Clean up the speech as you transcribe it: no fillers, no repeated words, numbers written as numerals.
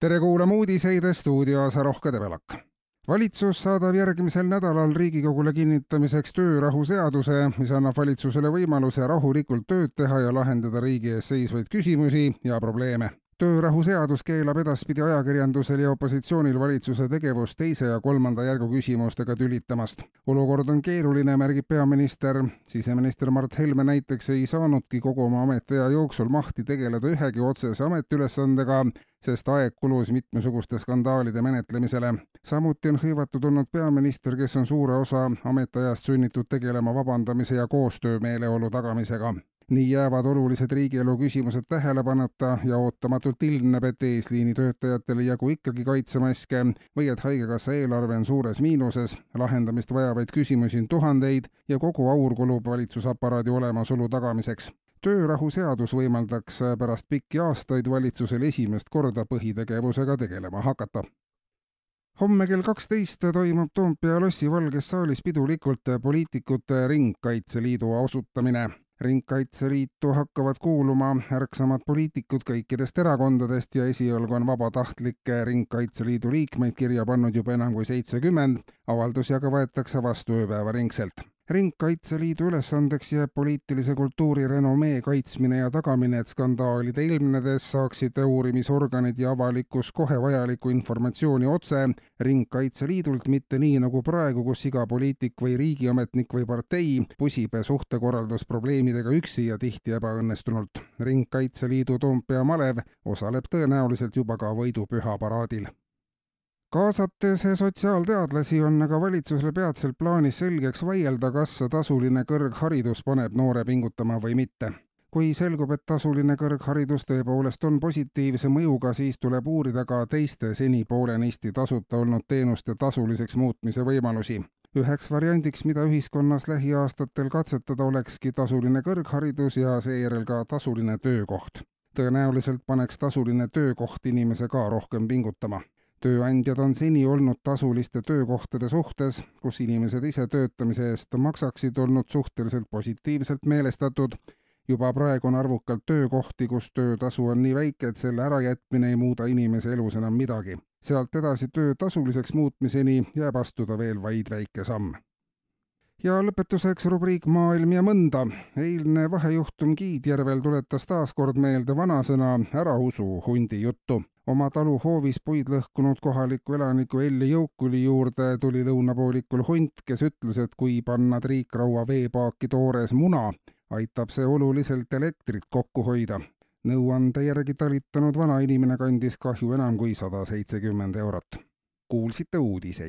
Tere kuulama uudiseid stuudios Rohke Debelak. Valitsus saadab järgmisel nädalal Riigikogule kinnitamiseks töörahuseaduse, mis annab valitsusele võimaluse rahulikult tööd teha ja lahendada riigi ees seisvaid küsimusi ja probleeme. Töörahuseadus keelab edaspidi ajakirjandusel ja opositsioonil valitsuse tegevust teise ja kolmanda järgu küsimustega tülitamast. Olukord on keeruline, märgib peaminister. Siseminister Mart Helme näiteks ei saanudki kogu oma ametiaja jooksul mahti tegeleda ühegi otsese ametiülesandega, sest aeg kulus mitmesuguste skandaalide menetlemisele. Samuti on hõivatud olnud peaminister, kes on suure osa ametiajast sunnitud tegelema vabandamise ja koostöömeeleolu tagamisega. Nii jäävad olulised riigielu küsimused tähelepanuta ja ootamatult ilmneb, et eesliini töötajatele jagu ikkagi kaitsemaske või et haigekassa eelarve on suures miinuses, lahendamist vajavaid küsimusi on tuhandeid ja kogu aur kulub valitsusaparaadi olemasolu tagamiseks. Töörahuseadus võimaldaks pärast pikki aastaid valitsusel esimest korda põhitegevusega tegelema hakata. Homme kell 12 toimub Toompea lossi Valges saalis pidulikult poliitikute Ringkaitseliidu asutamine. Ringkaitseliitu hakkavad kuuluma ärksamad poliitikud kõikidest erakondadest ja esialgu on vabatahtlike Ringkaitseliidu liikmeid kirja pannud juba enam kui 70, avaldusi aga võetakse vastu ööpäevaringselt. Ringkaitseliidu ülesandeks jääb poliitilise kultuuri renomee kaitsmine ja tagamine, et skandaalide ilmnedes saaksid uurimisorganid ja avalikkus kohe vajalikku informatsiooni otse Ringkaitseliidult, mitte nii nagu praegu, kus iga poliitik või riigiametnik või partei pusib suhtekorraldusprobleemidega üksi ja tihti ebaõnnestunult. Ringkaitseliidu Toompea malev osaleb tõenäoliselt juba ka võidupüha paraadil. Kaasates sotsiaalteadlasi on aga valitsusele peatselt plaanis selgeks vaielda, kas tasuline kõrgharidus paneb noore pingutama või mitte. Kui selgub, et tasuline kõrgharidus tõepoolest on positiivse mõjuga, siis tuleb uurida ka teiste seni poolenisti tasuta olnud teenuste tasuliseks muutmise võimalusi. Üheks variandiks, mida ühiskonnas lähiaastatel katsetada, olekski tasuline kõrgharidus ja seejärel ka tasuline töökoht. Tõenäoliselt paneks tasuline töökoht inimese ka rohkem pingutama. Tööandjad on seni olnud tasuliste töökohtade suhtes, kus inimesed ise töötamise eest maksaksid, olnud suhteliselt positiivselt meelestatud. Juba praegu on arvukalt töökohti, kus töötasu on nii väike, et selle ärajätmine ei muuda inimese elus enam midagi. Sealt edasi töö tasuliseks muutmiseni jääb astuda veel vaid väike samm. Ja lõpetuseks rubriik Maailm ja mõnda. Eilne vahejuhtum Kiidjärvel tuletas taas kord meelde vanasõna ära usu hundi juttu. Oma talu hoovis puid lõhkunud kohaliku elaniku Elli Jõukuli juurde tuli lõunapoolikul hunt, kes ütles, et kui panna triikraua veepaaki toores muna, aitab see oluliselt elektrit kokku hoida. Nõuande järgi talitanud vanainimene kandis kahju enam kui 170 eurot. Kuulsite uudiseid.